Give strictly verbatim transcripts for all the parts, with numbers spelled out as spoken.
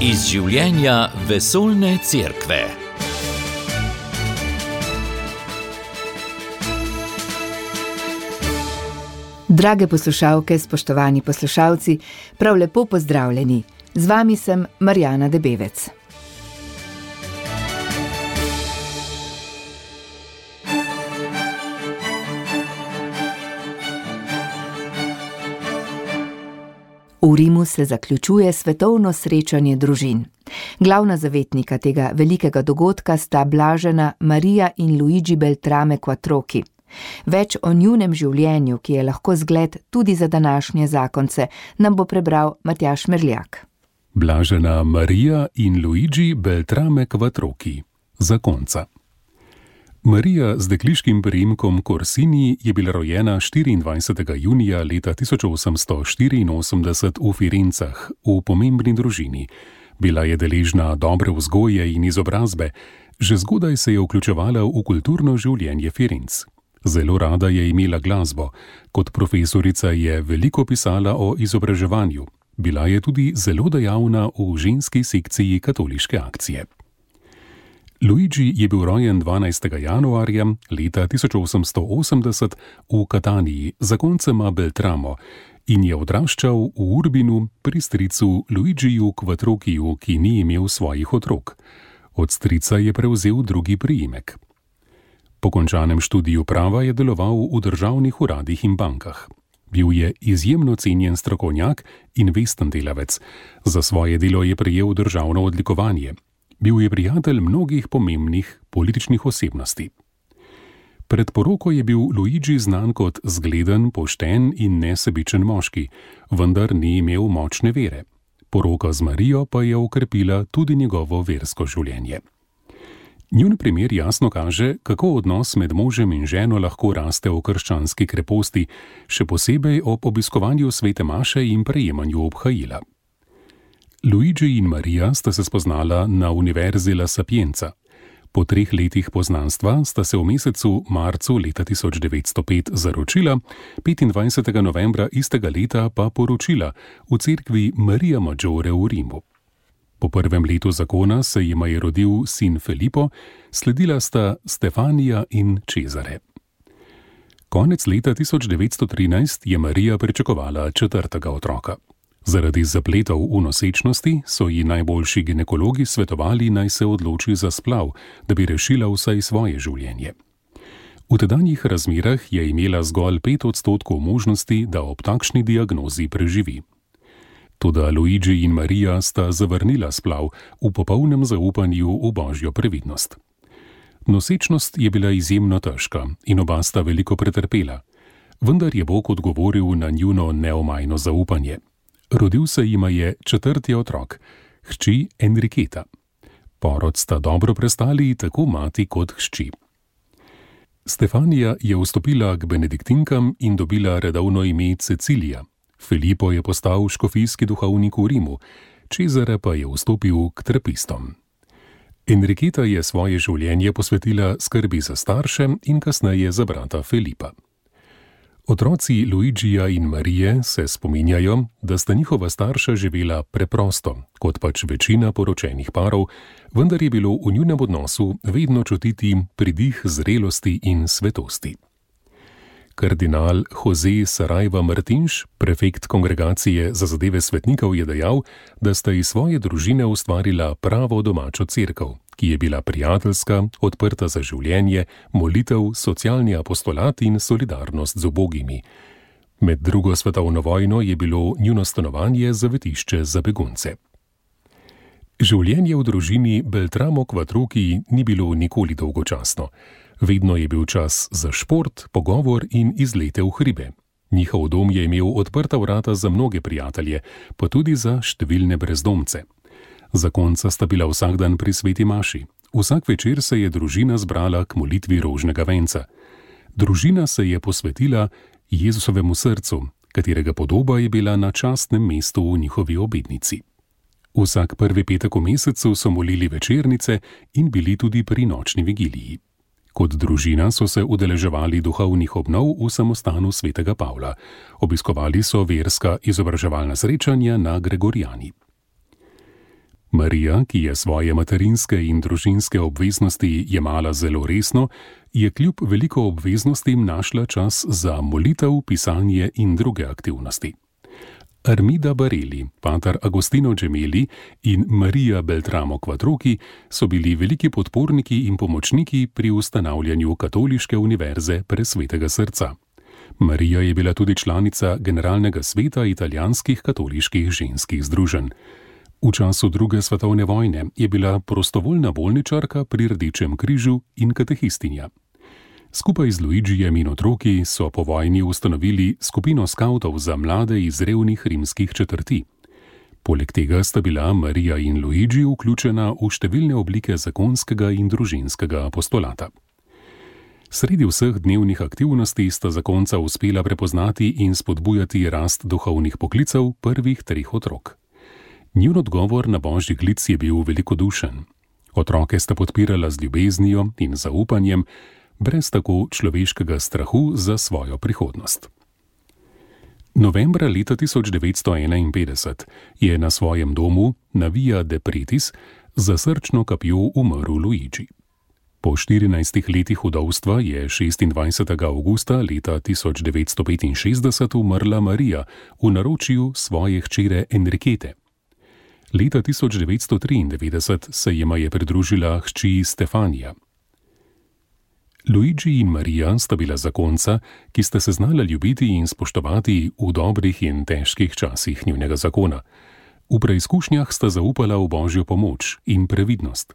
Iz življenja vesoljne cerkve. Drage poslušalke, spoštovani poslušalci, prav lepo pozdravljeni. Z vami sem Marjana Debevec. V Rimu se zaključuje svetovno srečanje družin. Glavna zavetnika tega velikega dogodka sta blažena Marija in Luigi Beltrame Quattrochi. Več o njunem življenju, ki je lahko zgled tudi za današnje zakonce, nam bo prebral Matjaž Merljak. Blažena Marija in Luigi Beltrame Quattrochi, zakonca. Marija z dekliškim priimkom Corsini je bila rojena štiriindvajsetega junija leta tisoč osemsto štiriinosemdeset v Firencah, v pomembni družini. Bila je deležna dobre vzgoje in izobrazbe, že zgodaj se je vključevala v kulturno življenje Firenc. Zelo rada je imela glasbo, kot profesorica je veliko pisala o izobraževanju. Bila je tudi zelo dejavna v ženski sekciji katoliške akcije. Luigi je bil rojen dvanajstega januarja leta tisoč osemsto osemdeset v Kataniji, zakoncema Beltramo, in je odraščal v Urbinu pri stricu Luigiju Quattrochiju, ki ni imel svojih otrok. Od strica je prevzel drugi priimek. Po končanem študiju prava je deloval v državnih uradih in bankah. Bil je izjemno cenjen strokovnjak in vesten delavec. Za svoje delo je prejel državno odlikovanje. Bil je prijatelj mnogih pomembnih političnih osebnosti. Pred poroko je bil Luigi znan kot zgleden, pošten in nesebičen moški, vendar ni imel močne vere. Poroka z Marijo pa je okrepila tudi njegovo versko življenje. Njun primer jasno kaže, kako odnos med možem in ženo lahko raste v krščanski kreposti, še posebej ob obiskovanju svete maše in prejemanju obhajila. Luigi in Marija sta se spoznala na Univerzi La Sapienza. Po treh letih poznanstva sta se v mesecu marcu leta tisoč devetsto pet zaročila, petindvajsetega novembra istega leta pa poročila v cerkvi Maria Maggiore v Rimu. Po prvem letu zakona se jima je rodil sin Filippo, sledila sta Stefanija in Cesare. Konec leta tisoč devetsto trinajst je Marija pričakovala četrtega otroka. Zaradi zapletov v nosečnosti so ji najboljši ginekologi svetovali, naj se odloči za splav, da bi rešila vsaj svoje življenje. V tedanjih razmerah je imela zgolj pet odstotkov možnosti, da ob takšni diagnozi preživi. Toda Luigi in Marija sta zavrnila splav v popolnem zaupanju v božjo previdnost. Nosečnost je bila izjemno težka in oba sta veliko pretrpela, vendar je Bog odgovoril na njuno neomajno zaupanje. Rodil se jima je četrti otrok, hči Enriqueta. Porod sta dobro prestali tako mati kot hči. Stefanija je vstopila k benediktinkam in dobila redovno ime Cecilija. Filippo je postal škofijski duhovnik v Rimu, Cesare pa je vstopil k trapistom. Enriqueta je svoje življenje posvetila skrbi za starše in kasneje za brata Filipa. Otroci Luigija in Marije se spominjajo, da sta njihova starša živela preprosto, kot pač večina poročenih parov, vendar je bilo v njunem odnosu vedno čutiti pridih zrelosti in svetosti. Kardinal Jose Saraiva Martinš, prefekt kongregacije za zadeve svetnikov, je dejal, da sta iz svoje družine ustvarila pravo domačo cerkev, ki je bila prijateljska, odprta za življenje, molitev, socialni apostolat in solidarnost z ubogimi. Med drugo svetovno vojno je bilo njuno stanovanje zavetišče za begunce. Življenje v družini Beltramo Quattrochi ni bilo nikoli dolgočasno. Vedno je bil čas za šport, pogovor in izlete v hribe. Njihov dom je imel odprta vrata za mnoge prijatelje, pa tudi za številne brezdomce. Zakonca sta bila vsak dan pri sveti maši. Vsak večer se je družina zbrala k molitvi rožnega venca. Družina se je posvetila Jezusovemu srcu, katerega podoba je bila na častnem mestu v njihovi obednici. Vsak prvi petek v mesecu so molili večernice in bili tudi pri nočni vigiliji. Kot družina so se udeleževali duhovnih obnov v samostanu svetega Pavla. Obiskovali so verska izobraževalna srečanja na Gregorijani. Marija, ki je svoje materinske in družinske obveznosti jemala zelo resno, je kljub veliko obveznostim našla čas za molitev, pisanje in druge aktivnosti. Armida Bareli, pater Agostino Gemelli in Marija Beltramo Quattrochi so bili veliki podporniki in pomočniki pri ustanavljanju Katoliške univerze Presvetega srca. Marija je bila tudi članica Generalnega sveta italijanskih katoliških ženskih združenj. V času druge svetovne vojne je bila prostovoljna bolničarka pri Rdečem križu in katehistinja. Skupaj z Luigijem in otroki so po vojni ustanovili skupino skavtov za mlade iz revnih rimskih četrti. Poleg tega sta bila Marija in Luigi vključena v številne oblike zakonskega in družinskega apostolata. Sredi vseh dnevnih aktivnosti sta zakonca uspela prepoznati in spodbujati rast duhovnih poklicev prvih treh otrok. Njun odgovor na božji klic je bil velikodušen. Otroke sta podpirala z ljubeznijo in zaupanjem, brez tako človeškega strahu za svojo prihodnost. Novembra leta tisoč devetsto enainpetdeset je na svojem domu na Via de Pretis za srčno kapjo umrl Luigi. Po štirinajstih letih vdovstva je šestindvajsetega avgusta leta tisoč devetsto petinšestdeset umrla Marija v naročju svoje hčere Enriquete. Leta tisoč devetsto triindevetdeset se jima je pridružila hči Stefanija. Luigi in Marija sta bila zakonca, ki sta se znala ljubiti in spoštovati v dobrih in težkih časih njunega zakona. V preizkušnjah sta zaupala v božjo pomoč in previdnost.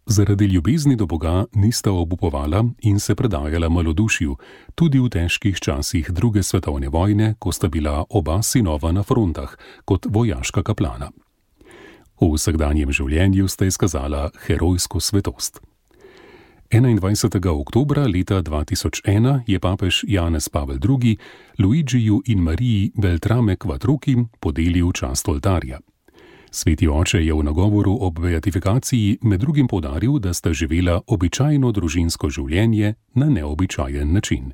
Zaradi ljubezni do Boga nista obupovala in se predajala malodušju, tudi v težkih časih druge svetovne vojne, ko sta bila oba sinova na frontah kot vojaška kaplana. V vsakdanjem življenju sta izkazala herojsko svetost. enaindvajsetega oktobra leta dva tisoč ena je papež Janez Pavel drugi Luigiju in Mariji Beltrame Quattrochi podelil čast oltarja. Sveti oče je v nagovoru ob beatifikaciji med drugim poudaril, da sta živela običajno družinsko življenje na neobičajen način.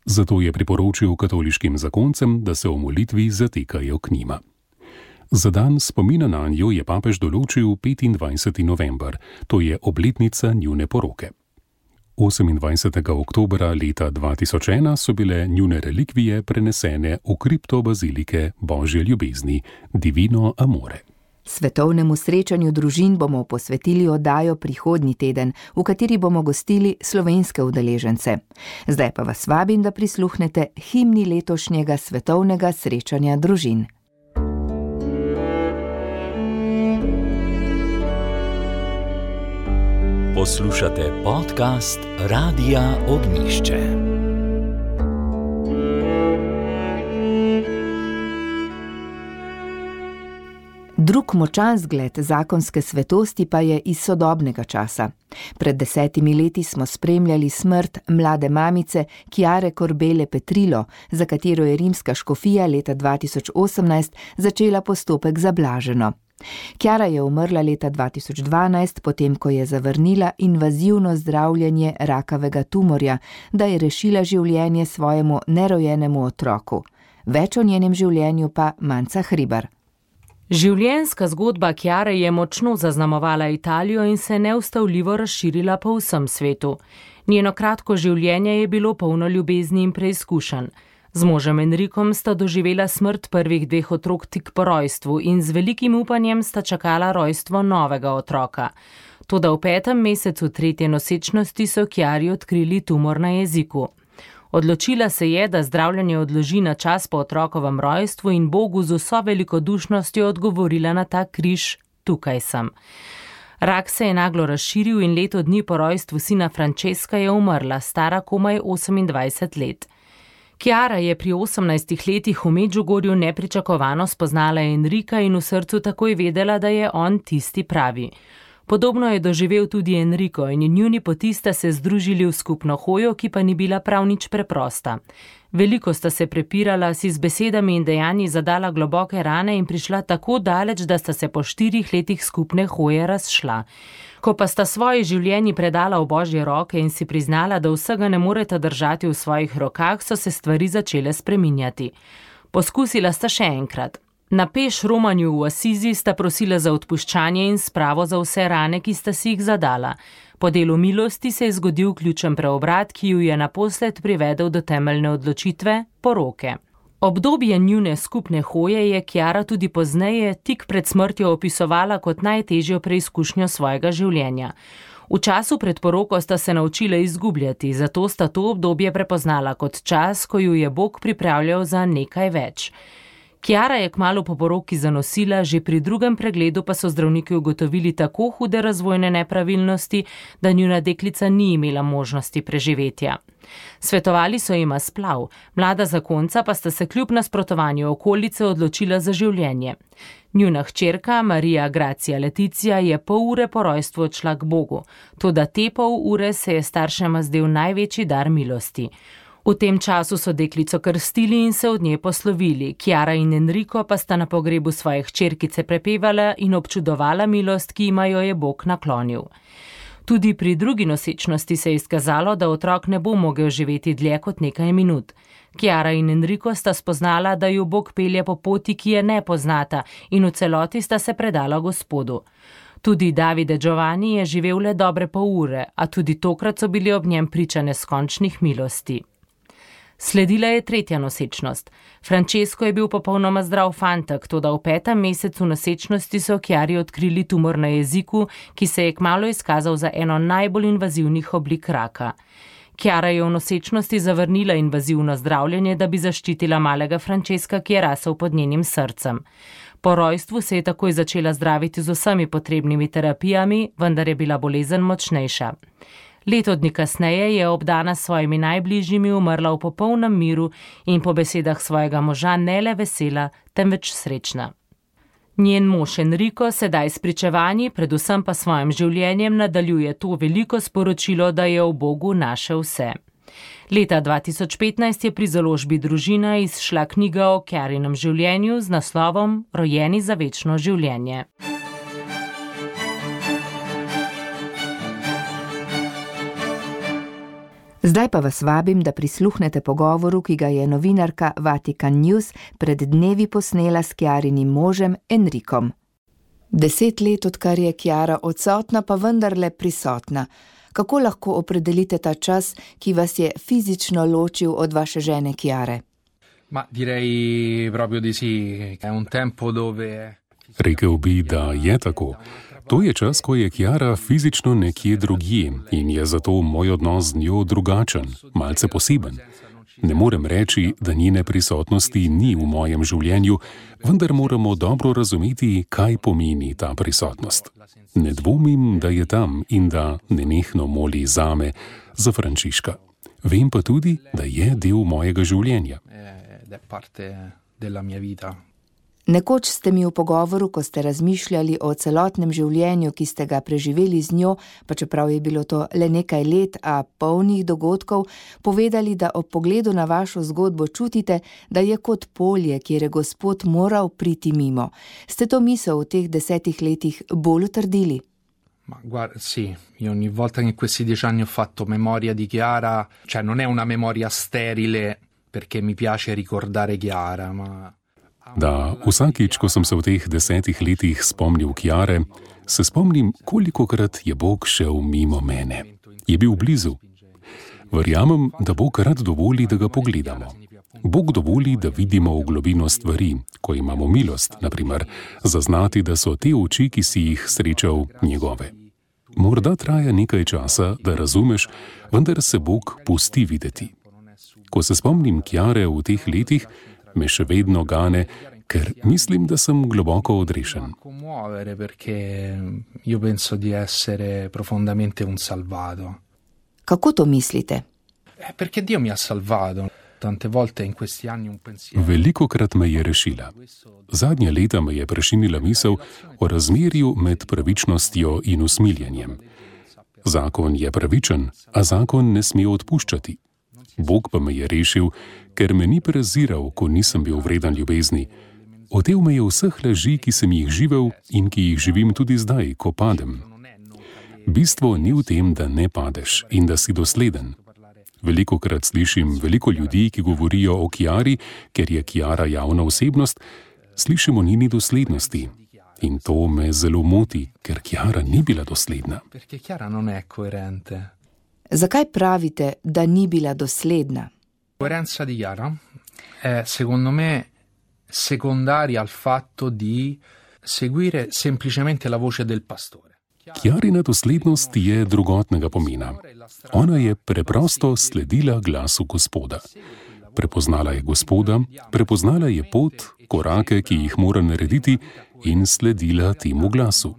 Zato je priporočil katoliškim zakoncem, da se v molitvi zatekajo k njima. Za dan spomina nanjo je papež določil petindvajseti november, to je obletnica njune poroke. osemindvajsetega oktobra leta dva tisoč ena so bile njune relikvije prenesene v kripto bazilike Božje ljubezni, Divino Amore. Svetovnemu srečanju družin bomo posvetili oddajo prihodnji teden, v kateri bomo gostili slovenske udeležence. Zdaj pa vas vabim, da prisluhnete himni letošnjega svetovnega srečanja družin. Poslušate podcast Radia Ognjišče. Drug močan zgled zakonske svetosti pa je iz sodobnega časa. Pred desetimi leti smo spremljali smrt mlade mamice Chiare Corbele Petrillo, za katero je rimska škofija leta dva tisoč osemnajst začela postopek za blaženo. Chiara je umrla leta dva tisoč dvanajst, potem ko je zavrnila invazivno zdravljenje rakavega tumorja, da je rešila življenje svojemu nerojenemu otroku. Več o njenem življenju pa Manca Hribar. Življenjska zgodba Chiare je močno zaznamovala Italijo in se neustavljivo razširila po vsem svetu. Njeno kratko življenje je bilo polno ljubezni in preizkušenj. Z možem Enrikom sta doživela smrt prvih dveh otrok tik po rojstvu in z velikim upanjem sta čakala rojstvo novega otroka. Toda v petem mesecu tretje nosečnosti so Chiari odkrili tumor na jeziku. Odločila se je, da zdravljenje odloži na čas po otrokovem rojstvu in Bogu z vso velikodušnostjo odgovorila na ta križ: tukaj sem. Rak se je naglo razširil in leto dni po rojstvu sina Francesca je umrla, stara komaj osemindvajset let. Chiara je pri osemnajstih letih v Medžugorju nepričakovano spoznala Enrika in v srcu takoj vedela, da je on tisti pravi. Podobno je doživel tudi Enrico in njuni poti sta se združili v skupno hojo, ki pa ni bila prav nič preprosta. Veliko sta se prepirala, si z besedami in dejanji zadala globoke rane in prišla tako daleč, da sta se po štirih letih skupne hoje razšla. Ko pa sta svoje življenje predala v Božje roke in si priznala, da vsega ne moreta držati v svojih rokah, so se stvari začele spreminjati. Poskusila sta še enkrat. Na peš romanju v Asizi sta prosila za odpuščanje in spravo za vse rane, ki sta si jih zadala. Po delu milosti se je zgodil ključen preobrat, ki ju je naposled privedel do temeljne odločitve, poroke. Obdobje njune skupne hoje je Chiara tudi pozneje, tik pred smrtjo, opisovala kot najtežjo preizkušnjo svojega življenja. V času pred poroko sta se naučila izgubljati, zato sta to obdobje prepoznala kot čas, ko ju je Bog pripravljal za nekaj več. Chiara je kmalu po poroki zanosila, že pri drugem pregledu pa so zdravniki ugotovili tako hude razvojne nepravilnosti, da njuna deklica ni imela možnosti preživetja. Svetovali so jima splav, mlada zakonca pa sta se kljub nasprotovanju okolice odločila za življenje. Njuna hčerka, Marija Gracia Leticia, je pol ure po rojstvu odšla k Bogu, toda te pol ure se je staršema zdel največji dar milosti. V tem času so deklico krstili in se od nje poslovili, Chiara in Enrico pa sta na pogrebu svoje hčerkice prepevala in občudovala milost, ki jima jo je Bog naklonil. Tudi pri drugi nosečnosti se je izkazalo, da otrok ne bo mogel živeti dlje kot nekaj minut. Chiara in Enrico sta spoznala, da ju Bog pelje po poti, ki je ne poznata, in v celoti sta se predala Gospodu. Tudi Davide Giovanni je živel le dobre pol ure, a tudi tokrat so bili ob njem priča neskončnih milosti. Sledila je tretja nosečnost. Francesco je bil popolnoma zdrav fantek, toda v petem mesecu nosečnosti so Chiari odkrili tumor na jeziku, ki se je kmalu izkazal za eno najbolj invazivnih oblik raka. Chiara je v nosečnosti zavrnila invazivno zdravljenje, da bi zaščitila malega Francesca, ki je rasel pod njenim srcem. Po rojstvu se je takoj začela zdraviti z vsemi potrebnimi terapijami, vendar je bila bolezen močnejša. Leto dni kasneje je obdana s svojimi najbližjimi umrla v popolnem miru in po besedah svojega moža ne le vesela, temveč srečna. Njen mož Enrico sedaj s pričevanji, predvsem pa svojim življenjem nadaljuje to veliko sporočilo, da je v Bogu našel vse. Leta dva tisoč petnajst je pri založbi Družina izšla knjiga o Chiarinem življenju z naslovom Rojeni za večno življenje. Zdaj pa vas vabim, da prisluhnete pogovoru, ki ga je novinarka Vatican News pred dnevi posnela s Chiarinim možem Enricom. Deset let, odkar je Chiara odsotna, pa vendarle prisotna. Kako lahko opredelite ta čas, ki vas je fizično ločil od vaše žene Chiare? Ma direi proprio di sì, è un tempo dove... Rekel bi, da je tako. To je čas, ko je Chiara fizično nekje drugje in je zato moj odnos z njo drugačen, malce poseben. Ne morem reči, da njene prisotnosti ni v mojem življenju, vendar moramo dobro razumeti, kaj pomeni ta prisotnost. Ne dvomim, da je tam in da nenehno moli zame, za Frančiška. Vem pa tudi, da je del mojega življenja. Nekoč ste mi v pogovoru, ko ste razmišljali o celotnem življenju, ki ste ga preživeli z njo, pa čeprav je bilo to le nekaj let, a polnih dogodkov, povedali, da ob pogledu na vašo zgodbo čutite, da je kot polje, kjer je Gospod moral priti mimo. Ste to misel v teh desetih letih bolj utrdili? Ma guarda, sì, io ogni volta che in questi dieci anni ho fatto memoria di Chiara, cioè non è una memoria sterile, perché mi piace ricordare Chiara, ma... Da, vsakič, ko sem se v teh desetih letih spomnil Chiare, se spomnim, kolikokrat je Bog šel mimo mene. Je bil blizu. Verjamem, da Bog rad dovoli, da ga pogledamo. Bog dovoli, da vidimo v globino stvari, ko imamo milost, naprimer, zaznati, da so te oči, ki si jih srečal, njegove. Morda traja nekaj časa, da razumeš, vendar se Bog pusti videti. Ko se spomnim Chiare v teh letih, me še vedno gane, ker mislim, da sem globoko odrešen. Kako to mislite? Velikokrat me je rešila. Zadnja leta me je prešinila misel o razmerju med pravičnostjo in usmiljenjem. Zakon je pravičen, a zakon ne sme odpuščati. Bog pa me je rešil, ker me ni preziral, ko nisem bil vreden ljubezni. Otel me je vseh laži, ki sem jih živel in ki jih živim tudi zdaj, ko padem. Bistvo ni v tem, da ne padeš in da si dosleden. Velikokrat slišim veliko ljudi, ki govorijo o Chiari, ker je Chiara javna osebnost, slišimo njeni doslednosti. In to me zelo moti, ker Chiara ni bila dosledna. Perché Chiara non è coerente. Zakaj pravite, da ni bila dosledna? Coerenza di Chiara è, secondo me, secondaria al fatto di seguire semplicemente la voce del pastore. Chiarina doslednost je drugotnega pomena. Ona je preprosto sledila glasu Gospoda. Prepoznala je Gospoda, prepoznala je pot, korake, ki jih mora narediti, in sledila temu glasu.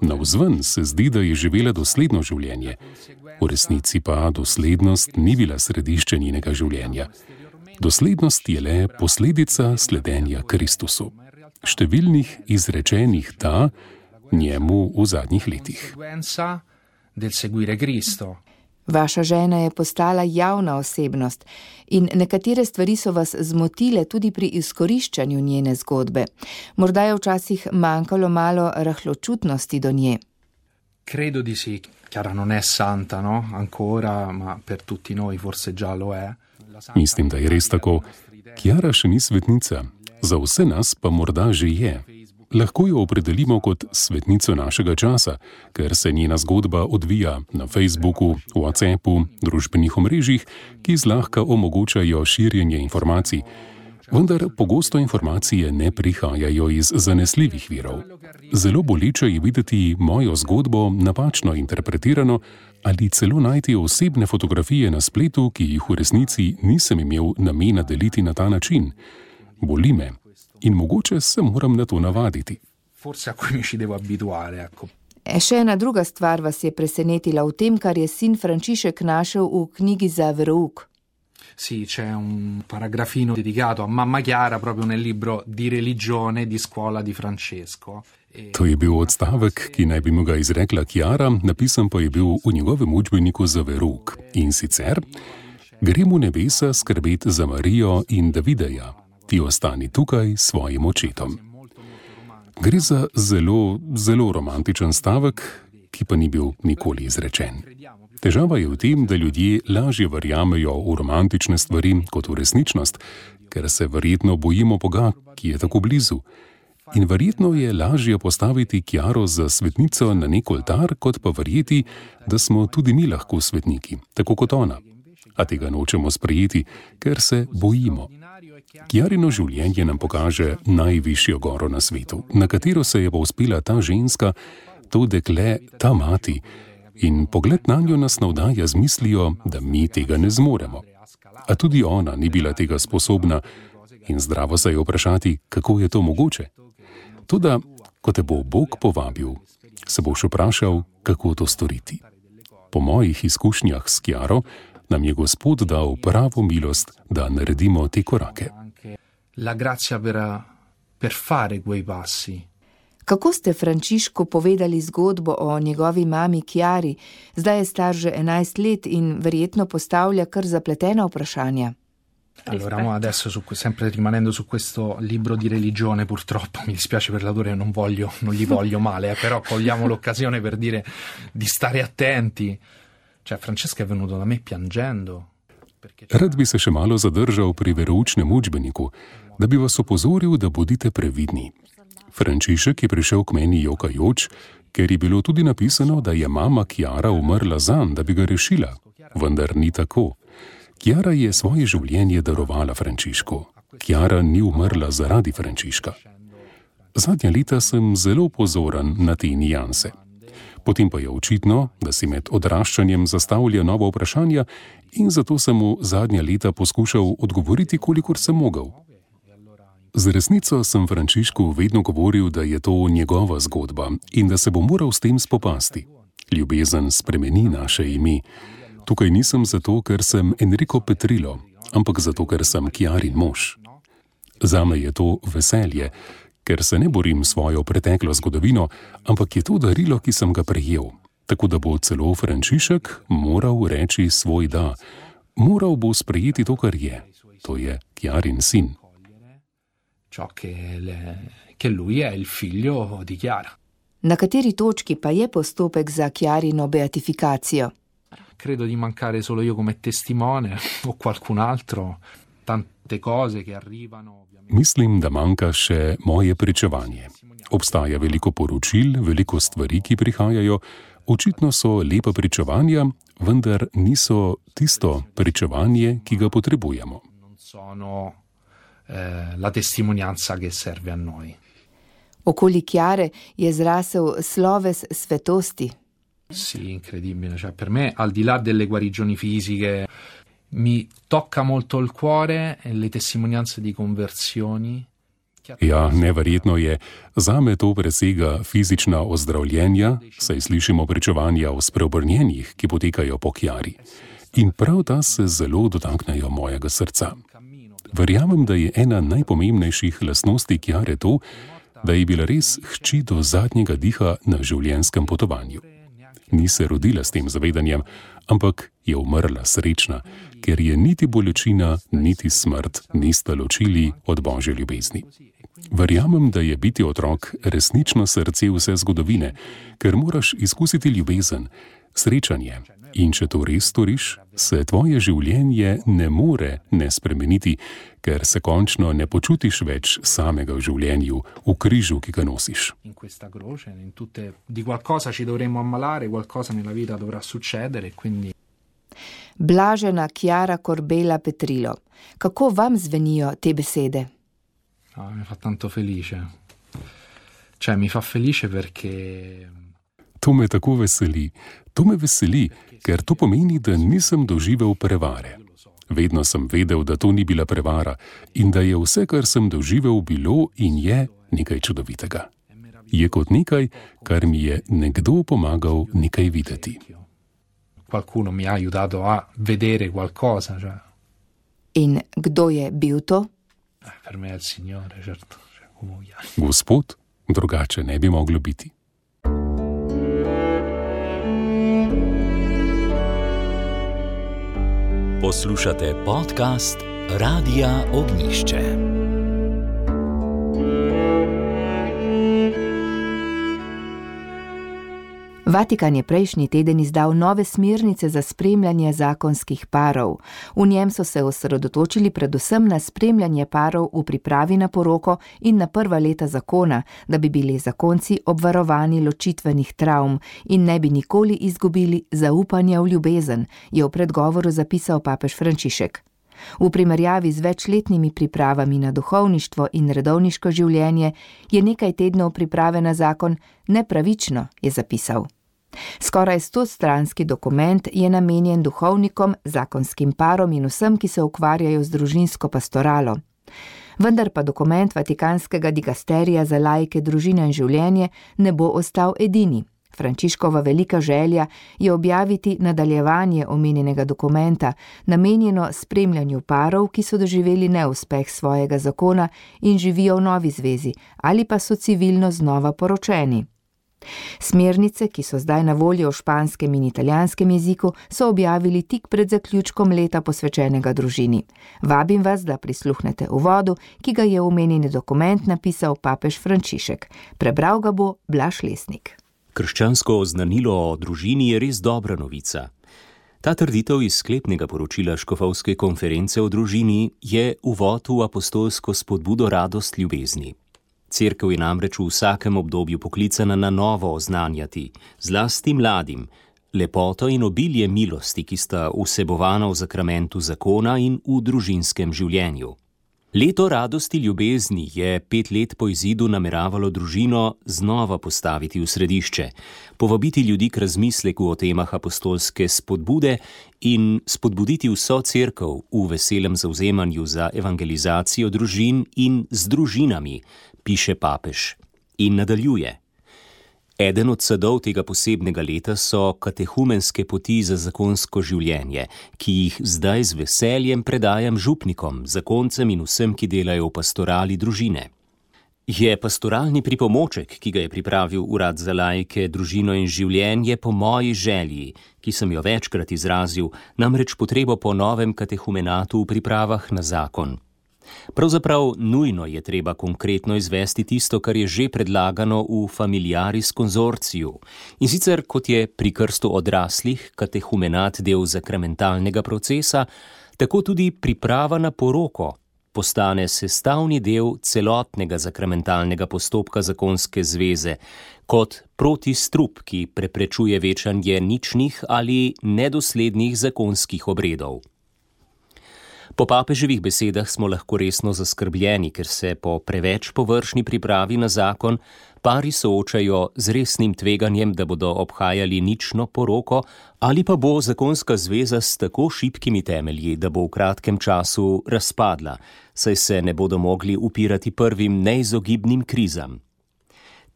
Navzven se zdi, da je živela dosledno življenje. V resnici pa doslednost ni bila središče njenega življenja. Doslednost je le posledica sledenja Kristusu. Številnih izrečenih da njemu v zadnjih letih. Vaša žena je postala javna osebnost in nekatere stvari so vas zmotile tudi pri izkoriščanju njene zgodbe. Morda je včasih manjkalo malo rahločutnosti do nje. Credo di sì. Chiara non è santa, no? Ancora, ma per tutti noi forse già lo è. Mislim, da je res tako. Chiara še ni svetnica, za vse nas pa morda že je. Lahko jo opredelimo kot svetnico našega časa, ker se njena zgodba odvija na Facebooku, WhatsAppu, družbenih omrežjih, ki zlahka omogočajo širjenje informacij. Vendar pogosto informacije ne prihajajo iz zanesljivih virov. Zelo boleče je videti mojo zgodbo napačno interpretirano ali celo najti osebne fotografije na spletu, ki jih v resnici nisem imel namena deliti na ta način. Boli me. In mogoče se moram na to navaditi. E še ena druga stvar vas je presenetila v tem, kar je sin Frančišek našel v knjigi za verouk. Sì, c'è un paragrafino dedicato a mamma Chiara proprio nel libro di religione di scuola di Francesco. To je bil odstavek, ki naj bi mu ga izrekla Chiara, napisan pa je bil v njegovem učbeniku za verouk. In sicer: grem v nebesa skrbeti za Marijo in Davideja. Ti ostani tukaj s svojim očetom. Gre za zelo, zelo romantičen stavek, ki pa ni bil nikoli izrečen. Težava je v tem, da ljudje lažje verjamejo v romantične stvari kot v resničnost, ker se verjetno bojimo Boga, ki je tako blizu. In verjetno je lažje postaviti Chiaro za svetnico na nek oltar, kot pa verjeti, da smo tudi mi lahko svetniki, tako kot ona. A tega nočemo sprejeti, ker se bojimo. Chiarino življenje nam pokaže najvišjo goro na svetu, na katero se je povzpela ta ženska, to dekle, ta mati, in pogled nanjo nas navdaja z mislijo, da mi tega ne zmoremo. A tudi ona ni bila tega sposobna in zdravo se je vprašati, kako je to mogoče. Toda, ko te bo Bog povabil, se boš vprašal, kako to storiti. Po mojih izkušnjah s Chiaro nam je Gospod dal pravo milost, da naredimo te korake. La grazia per, per fare quei passi. Kako ste Frančišku povedali zgodbo o njegovi mami Chiari? Zdaj je star že enajst let in verjetno postavlja kar zapletena vprašanja. Allora, mo adesso su, sempre rimanendo su questo libro di religione, purtroppo mi dispiace per l'autore, non voglio, non gli voglio male, eh, però cogliamo l'occasione per dire di stare attenti. Cioè, Francesca è venuto da me piangendo. Rad bi se še malo zadržal pri veroučnem učbeniku, da bi vas opozoril, da bodite previdni. Frančišek je prišel k meni jokajoč, ker je bilo tudi napisano, da je mama Chiara umrla zanj, da bi ga rešila. Vendar ni tako. Chiara je svoje življenje darovala Frančišku. Chiara ni umrla zaradi Frančiška. Zadnja leta sem zelo pozoren na te nijanse. Potem pa je očitno, da si med odraščanjem zastavlja nova vprašanja in zato sem mu zadnja leta poskušal odgovoriti, kolikor sem mogel. Z resnico sem Frančišku vedno govoril, da je to njegova zgodba in da se bo moral s tem spopasti. Ljubezen spremeni naše ime. Tukaj nisem zato, ker sem Enrico Petrillo, ampak zato, ker sem Chiarin mož. Zame je to veselje, ker se ne borim svojo preteklo zgodovino, ampak je to darilo, ki sem ga prejel. Tako da bo celo Frančišek moral reči svoj da. Moral bo sprejeti to, kar je. To je Chiarin sin. Ciò che, le, che lui è il figlio di Chiara. Na kateri točki pa je postopek za Chiarino beatifikacijo? Credo di mancare solo io come testimone o qualcun altro tante cose che arrivano. Mislim, da manjka še moje pričevanje. Obstaja veliko poročil, veliko stvari, ki prihajajo. Očitno so lepa pričevanja, vendar niso tisto pričevanje, ki ga potrebujemo. Non sono eh, la testimonianza che serve a noi. Okoli Chiare je zrasel sloves svetosti. Sì, incredibile. Cioè, per me, al di là delle guarigioni fisiche, mi tocca molto il cuore le testimonianze di conversioni. Ja, neverjetno je. Zame to presega fizična ozdravljenja, saj slišimo pričevanja o spreobrnjenjih, ki potekajo po Chiari. In prav ta se zelo dotaknejo mojega srca. Verjamem, da je ena najpomembnejših lastnosti Chiare to, da je bila res hči do zadnjega diha na življenjskem potovanju. Ni se rodila s tem zavedanjem, ampak je umrla srečna, ker je niti bolečina, niti smrt nista ločili od Božje ljubezni. Verjamem, da je biti otrok resnično srce vse zgodovine, ker moraš izkusiti ljubezen, srečanje. In če to res storiš, se tvoje življenje ne more ne spremeniti, ker se končno ne počutiš več samega v življenju, v križu, ki ga nosiš. In questa croce, in tutte, di qualcosa ci dovremo ammalare, qualcosa nella vita dovrà succedere, quindi... Blažena Chiara Corbella Petrilo, kako vam zvenijo te besede? Ah, mi fa tanto felice. Cioè, mi fa felice perché... To me tako veseli. To me veseli, ker to pomeni, da nisem doživel prevare. Vedno sem vedel, da to ni bila prevara in da je vse, kar sem doživel, bilo in je nekaj čudovitega. Je kot nekaj, kar mi je nekdo pomagal nekaj videti. Qualcuno mi ha aiutato a vedere qualcosa. Cioè. In kdo je bil to? Eh, per me è il Signore, certo. Cioè, come Gospod, drugače ne bi moglo biti. Poslušate podcast Radia Ognišče. Vatikan je prejšnji teden izdal nove smernice za spremljanje zakonskih parov. V njem so se osredotočili predvsem na spremljanje parov v pripravi na poroko in na prva leta zakona, da bi bili zakonci obvarovani ločitvenih travm in ne bi nikoli izgubili zaupanja v ljubezen, je v predgovoru zapisal papež Frančišek. V primerjavi z večletnimi pripravami na duhovništvo in redovniško življenje je nekaj tednov priprave na zakon nepravično, je zapisal. Skoraj stostranski dokument je namenjen duhovnikom, zakonskim parom in vsem, ki se ukvarjajo z družinsko pastoralo. Vendar pa dokument Vatikanskega digasterija za laike, družino in življenje ne bo ostal edini. Frančiškova velika želja je objaviti nadaljevanje omenjenega dokumenta, namenjeno spremljanju parov, ki so doživeli neuspeh svojega zakona in živijo v novi zvezi ali pa so civilno znova poročeni. Smernice, ki so zdaj na voljo v španskem in italijanskem jeziku, so objavili tik pred zaključkom leta posvečenega družini. Vabim vas, da prisluhnete uvodu, ki ga je omenjeni dokument napisal papež Frančišek. Prebral ga bo Blaž Lesnik. Krščansko oznanilo o družini je res dobra novica. Ta trditev iz sklepnega poročila Škofovske konference o družini je uvod v apostolsko spodbudo radost ljubezni. Cerkev je namreč v vsakem obdobju poklicana na novo oznanjati, zlasti mladim, lepoto in obilje milosti, ki sta vsebovana v zakramentu zakona in v družinskem življenju. Leto radosti ljubezni je pet let po izidu nameravalo družino znova postaviti v središče, povabiti ljudi k razmisleku o temah apostolske spodbude in spodbuditi vso cerkev v veselem zavzemanju za evangelizacijo družin in z družinami, piše papež in nadaljuje. Eden od sadov tega posebnega leta so katehumenske poti za zakonsko življenje, ki jih zdaj z veseljem predajam župnikom, zakoncem in vsem, ki delajo v pastorali družine. Je pastoralni pripomoček, ki ga je pripravil Urad za laike, družino in življenje po moji želji, ki sem jo večkrat izrazil, namreč potrebo po novem katehumenatu v pripravah na zakon. Pravzaprav nujno je treba konkretno izvesti tisto, kar je že predlagano v Familiaris konzorciju, in sicer kot je pri krstu odraslih katehumenat del zakramentalnega procesa, tako tudi priprava na poroko postane sestavni del celotnega zakramentalnega postopka zakonske zveze, kot protistrup, ki preprečuje večanje ničnih ali nedoslednih zakonskih obredov. Po papeževih besedah smo lahko resno zaskrbljeni, ker se po preveč površni pripravi na zakon pari soočajo z resnim tveganjem, da bodo obhajali nično poroko, ali pa bo zakonska zveza s tako šibkimi temelji, da bo v kratkem času razpadla, saj se ne bodo mogli upirati prvim neizogibnim krizam.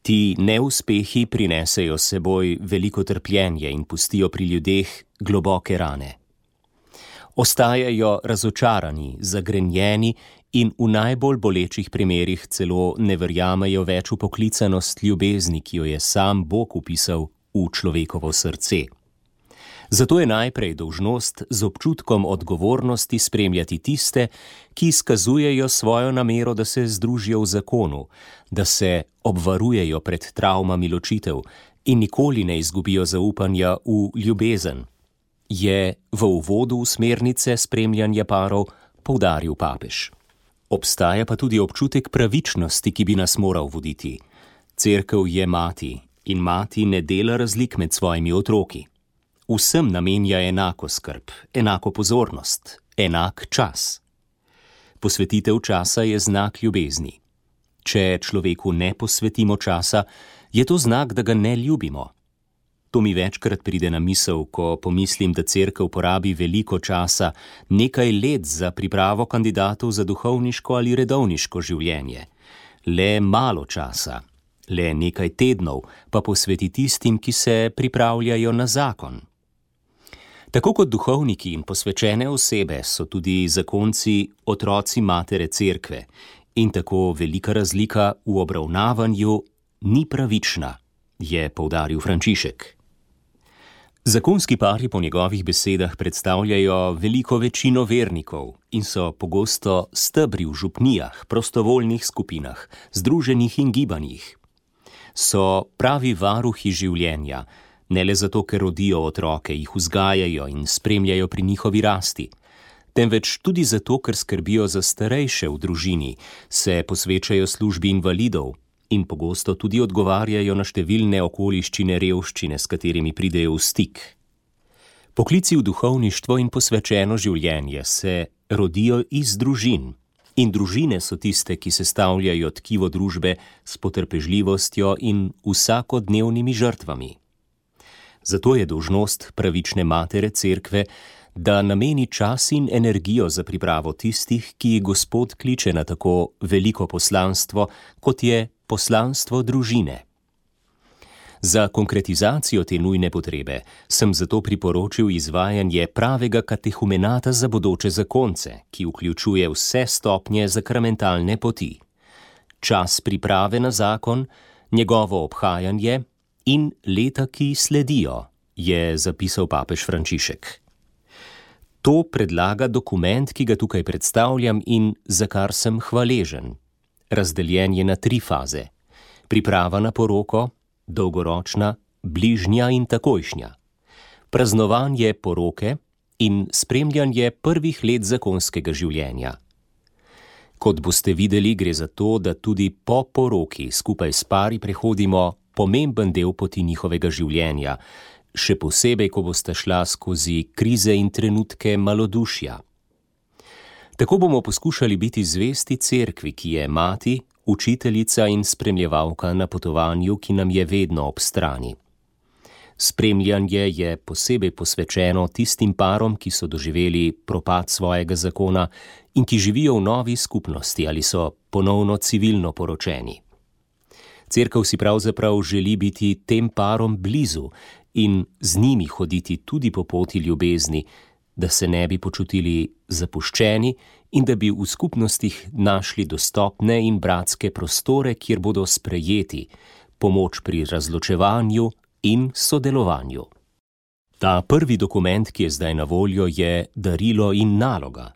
Ti neuspehi prinesejo s seboj veliko trpljenje in pustijo pri ljudeh globoke rane. Ostajajo razočarani, zagrenjeni in v najbolj bolečih primerih celo ne verjamejo več v poklicanost ljubezni, ki jo je sam Bog vpisal v človekovo srce. Zato je najprej dolžnost z občutkom odgovornosti spremljati tiste, ki izkazujejo svojo namero, da se združijo v zakonu, da se obvarujejo pred travmami ločitev in nikoli ne izgubijo zaupanja v ljubezen, je v uvodu v smernice spremljanja parov poudaril papež. Obstaja pa tudi občutek pravičnosti, ki bi nas moral voditi. Cerkev je mati in mati ne dela razlik med svojimi otroki. Vsem namenja enako skrb, enako pozornost, enak čas. Posvetitev časa je znak ljubezni. Če človeku ne posvetimo časa, je to znak, da ga ne ljubimo. To mi večkrat pride na misel, ko pomislim, da cerkev porabi veliko časa, nekaj let za pripravo kandidatov za duhovniško ali redovniško življenje. Le malo časa, le nekaj tednov pa posveti tistim, ki se pripravljajo na zakon. Tako kot duhovniki in posvečene osebe so tudi zakonci otroci matere cerkve in tako velika razlika v obravnavanju ni pravična, je poudaril Frančišek. Zakonski pari po njegovih besedah predstavljajo veliko večino vernikov in so pogosto stebri v župnijah, prostovoljnih skupinah, združenih in gibanjih. So pravi varuhi življenja, ne le zato, ker rodijo otroke, jih vzgajajo in spremljajo pri njihovi rasti, temveč tudi zato, ker skrbijo za starejše v družini, se posvečajo službi invalidov in pogosto tudi odgovarjajo na številne okoliščine revščine, s katerimi pridejo v stik. Poklici v duhovništvo in posvečeno življenje se rodijo iz družin in družine so tiste, ki sestavljajo tkivo družbe s potrpežljivostjo in vsakodnevnimi žrtvami. Zato je dolžnost pravične matere cerkve, da nameni čas in energijo za pripravo tistih, ki jih Gospod kliče na tako veliko poslanstvo, kot je poslanstvo družine. Za konkretizacijo te nujne potrebe sem zato priporočil izvajanje pravega katehumenata za bodoče zakonce, ki vključuje vse stopnje zakramentalne poti. Čas priprave na zakon, njegovo obhajanje in leta, ki sledijo, je zapisal papež Frančišek. To predlaga dokument, ki ga tukaj predstavljam in za kar sem hvaležen. Razdeljen je na tri faze. Priprava na poroko, dolgoročna, bližnja in takojšnja. Praznovanje poroke in spremljanje prvih let zakonskega življenja. Kot boste videli, gre za to, da tudi po poroki skupaj s pari prehodimo pomemben del poti njihovega življenja, še posebej, ko boste šla skozi krize in trenutke malodušja. Tako bomo poskušali biti zvesti cerkvi, ki je mati, učiteljica in spremljevalka na potovanju, ki nam je vedno ob strani. Spremljanje je posebej posvečeno tistim parom, ki so doživeli propad svojega zakona in ki živijo v novi skupnosti ali so ponovno civilno poročeni. Cerkev si pravzaprav želi biti tem parom blizu in z njimi hoditi tudi po poti ljubezni, da se ne bi počutili zapuščeni in da bi v skupnostih našli dostopne in bratske prostore, kjer bodo sprejeti, pomoč pri razločevanju in sodelovanju. Ta prvi dokument, ki je zdaj na voljo, je darilo in naloga.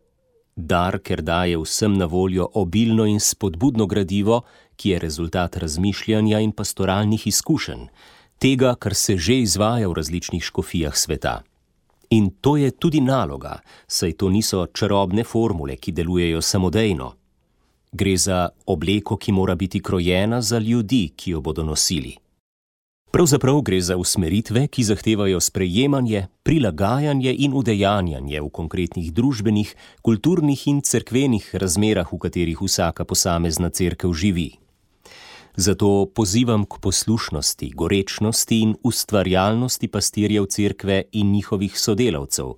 Dar, ker daje vsem na voljo obilno in spodbudno gradivo, ki je rezultat razmišljanja in pastoralnih izkušenj, tega, kar se že izvaja v različnih škofijah sveta. In to je tudi naloga, saj to niso čarobne formule, ki delujejo samodejno. Gre za obleko, ki mora biti krojena za ljudi, ki jo bodo nosili. Pravzaprav gre za usmeritve, ki zahtevajo sprejemanje, prilagajanje in udejanjanje v konkretnih družbenih, kulturnih in cerkvenih razmerah, v katerih vsaka posamezna cerkev živi. Zato pozivam k poslušnosti, gorečnosti in ustvarjalnosti pastirjev cerkve in njihovih sodelavcev,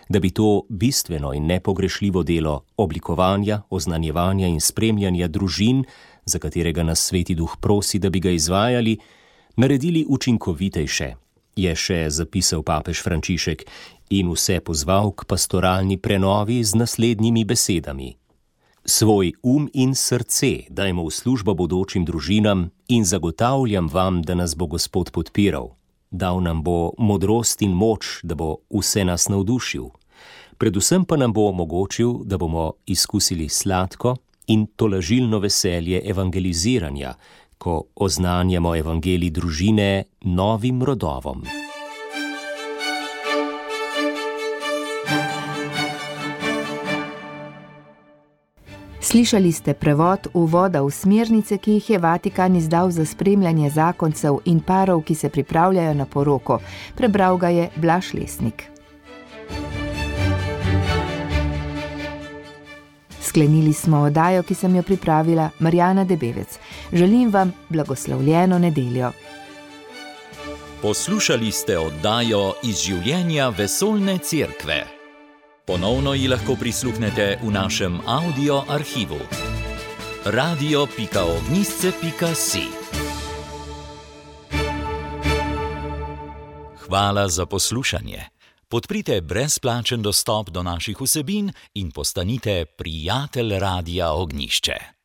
da bi to bistveno in nepogrešljivo delo oblikovanja, oznanjevanja in spremljanja družin, za katerega nas Sveti Duh prosi, da bi ga izvajali, naredili učinkovitejše, je še zapisal papež Frančišek in vse pozval k pastoralni prenovi z naslednjimi besedami. Svoj um in srce dajmo v službo bodočim družinam in zagotavljam vam, da nas bo Gospod podpiral. Dal nam bo modrost in moč, da bo vse nas navdušil. Predvsem pa nam bo omogočil, da bomo izkusili sladko in tolažilno veselje evangeliziranja, ko oznanjamo evangelij družine novim rodovom. Slišali ste prevod uvoda v smernice, ki jih je Vatikan izdal za spremljanje zakoncev in parov, ki se pripravljajo na poroko. Prebral ga je Blaž Lesnik. Sklenili smo oddajo, ki sem jo pripravila, Marjana Debevec. Želim vam blagoslovljeno nedeljo. Poslušali ste oddajo iz življenja Vesoljne cerkve. Ponovno ji lahko prisluhnete v našem audio arhivu. radio pika ognjišče pika si. Hvala za poslušanje. Podprite brezplačen dostop do naših vsebin in postanite prijatelj Radia Ognjišče.